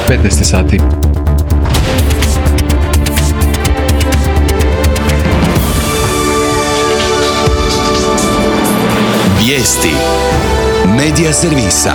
15 sati. Vijesti Medija servisa.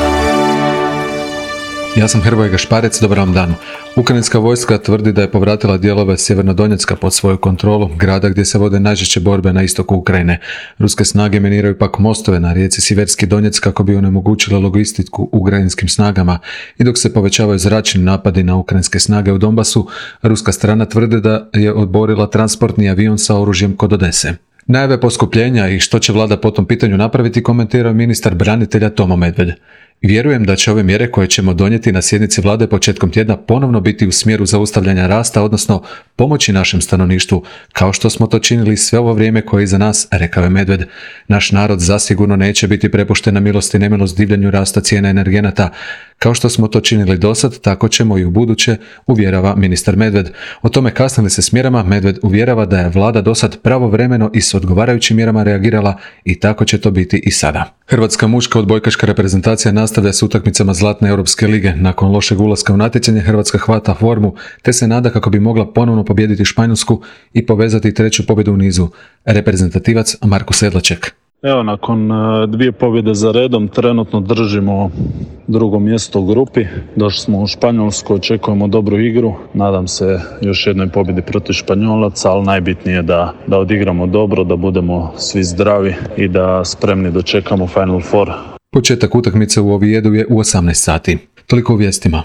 Ja sam Hrvoje Gašparec, dobar vam dan. Ukrajinska vojska tvrdi da je povratila dijelove Sjevernodonjecka pod svoju kontrolu, grada gdje se vode najžešće borbe na istoku Ukrajine. Ruske snage miniraju pak mostove na rijeci Siverski Donjec kako bi onemogućile logistiku ukrajinskim snagama, i dok se povećavaju zračni napadi na ukrajinske snage u Donbasu, ruska strana tvrdi da je odborila transportni avion sa oružjem kod Odese. Najave poskupljenja i što će vlada po tom pitanju napraviti komentirao ministar branitelja Tomo Medved. Vjerujem da će ove mjere koje ćemo donijeti na sjednici vlade početkom tjedna ponovno biti u smjeru zaustavljanja rasta, odnosno pomoći našem stanovništvu, kao što smo to činili sve ovo vrijeme koje je iza nas, rekao je Medved. Naš narod zasigurno neće biti prepušten na milost i nemilost divljanju rasta cijena energenata. Kao što smo to činili dosad, tako ćemo i u buduće, uvjerava ministar Medved. O tome kasne li se s mjerama, Medved uvjerava da je vlada dosad pravovremeno i s odgovarajućim mjerama reagirala i tako će to biti i sada. Hrvatska muška odbojkaška reprezentacija nastavlja s utakmicama Zlatne Europske lige. Nakon lošeg ulaska u natjecanje Hrvatska hvata formu te se nada kako bi mogla ponovno pobijediti Španjolsku i povezati treću pobjedu u nizu. Reprezentativac Marko Sedlaček. Evo, nakon dvije pobjede za redom trenutno držimo drugo mjesto u grupi. Došli smo u Španjolsku, očekujemo dobru igru. Nadam se još jednoj pobjedi protiv Španjolaca, ali najbitnije je da odigramo dobro, da budemo svi zdravi i da spremni dočekamo Final Four. Početak utakmice u Ovijedu je u 18 sati. Toliko u vijestima.